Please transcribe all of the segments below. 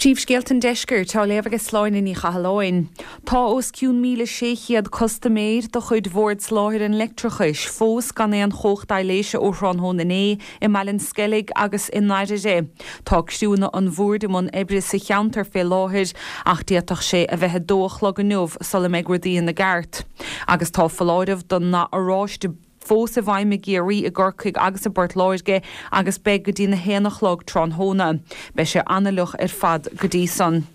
Príomhscéalta an Deiscirt á léamh ag Sláine Ní Chathalláin. Tá os cionn 1,600 custaiméir de chuid Bhord Soláthair an Leictreachais fós gan aon chumhacht aibhléise ó thráthnóna inné i mBaile an Sceilg agus i nDairire. Tá criúnna an Bhoird i mbun oibre sa cheantar fé láthair ach d'fhéadfadh sé a bheith 2 a chlog inniu sula mbeidh rudaí ina gceart. Agus tá foláireamh don ndath oráiste fós i bhfeidhm i gCiarraí, i gCorcaigh agus i bPort Láirge agus beidh go dtí na haon a chlog tráthnóna. Beidh sé an-fhliuch ar fad go dtí san.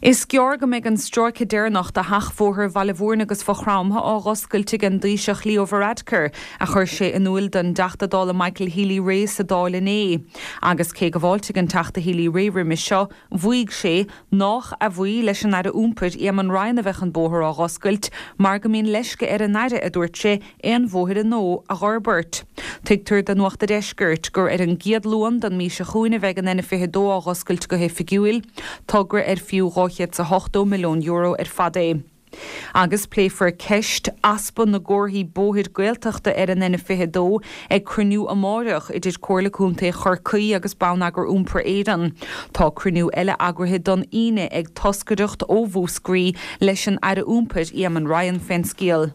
Is gearr go mbeidh an stráice deireanach de sheachbhóthar Bhaile Mhúirne agus Mhaigh Chromtha á dh'oscailt ag an dTaoiseach Leo Varadkar, a chuir sé in úil don dTeachta Dála Michael Healy-Rae sa Dáil inné. Agus cé go bhfáiltigh an Teachta Healy-Rae roimis seo, mhaígh sé nách a bhuí leis an Aire Iompair, Éamon Ryan a bheadh an bóthar á dh'oscailt mar go mbíonn leisce ar an Aire, a dúirt sé, aon bhóithre nua a dh'fhorbairt. Tuigtear do Nuacht a' Deiscirt gur ar an gcéad Luan den mhí seo chugainn a bheidh an N22 á dh'oscailt go hoifigiúil, togra ar fiú €280 milliún ar fad é. Agus pléifear ceist easpa na gcomharthaí bóthair Gaeltachta ar an N22 ag cruinniú amáireach idir Comhairle Contae Chorcaí agus Bonneagar Iompair Éireann. Tá cruinniú eile eagraithe don Aoine ag toscaireacht ó Mhúscraí leis an Aire Iompair Éamon Ryan fén scéal.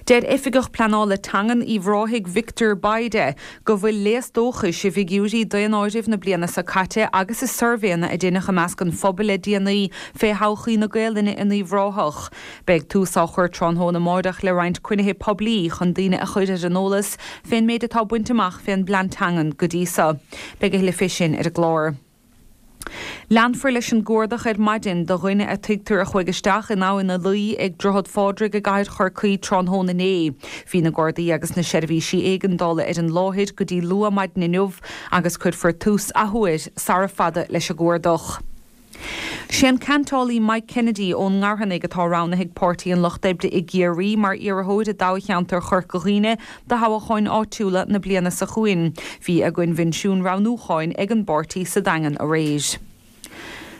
Deir Oifigeach Pleanála Teangan Uíbh Ráthaigh Victor Bayda go bhfuil léas dóchais i bhfigiúirí daonáirimh na bliana seo caite agus i suirbhéanna a deineadh i measc an phobail le déanaí fé thodhchaí na Gaelainne in Uíbh Ráthach. Beidh tús á chur tráthnóna amáireach le roinnt cruinnithe poiblí chun daoine a chur ar an eolas fén méid atá bainte amach fén bplean teangan go dtí seo. Beidh a thuilleadh fé sin ar an gclár. Leanfar leis an gcuardach ar maidin do dhuine a tuigtear a chuaigh isteach in Abhainn an Laoi ag Droichead Phádraig i gcathair Chorcaí tráthnóna inné. Bhí na Gardaí agus na seirbhísí éigeandála ar an láthair go dtí luath maidin inniu agus cuirfear tús athuair sara fada leis an gcuardach. Sé an ceantálaí Mike Kennedy ón nGarthannaigh atá roghnaithe ag Páirtí an Lucht Oibre i gCiarraí mar iarrthóir i dtoghcheantar Chorca Dhuibhne do thoghcháin áitiúla na bliana seo chugainn. Bhí a gcoinbhinsiún roghnúcháin ag an bpáirtí sa Daingean aréir.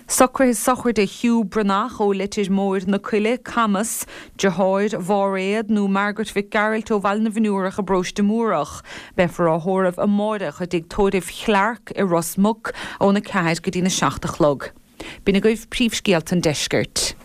Socruithe sochraide Hugh Breathnach ó Leitir Móir na Coille, Camas, deartháir Mháiréad nó Margaret Mhic Gearailt ó Bhaile na bhFionnúrach i bParóiste Múrach. Beifear á thórramh amáireach i dtigh tórraimh Chlarke i Ros Muc ón 4 go dtí'n 7 a chlog. B'in agaibh príomhscéalta an deiscirt.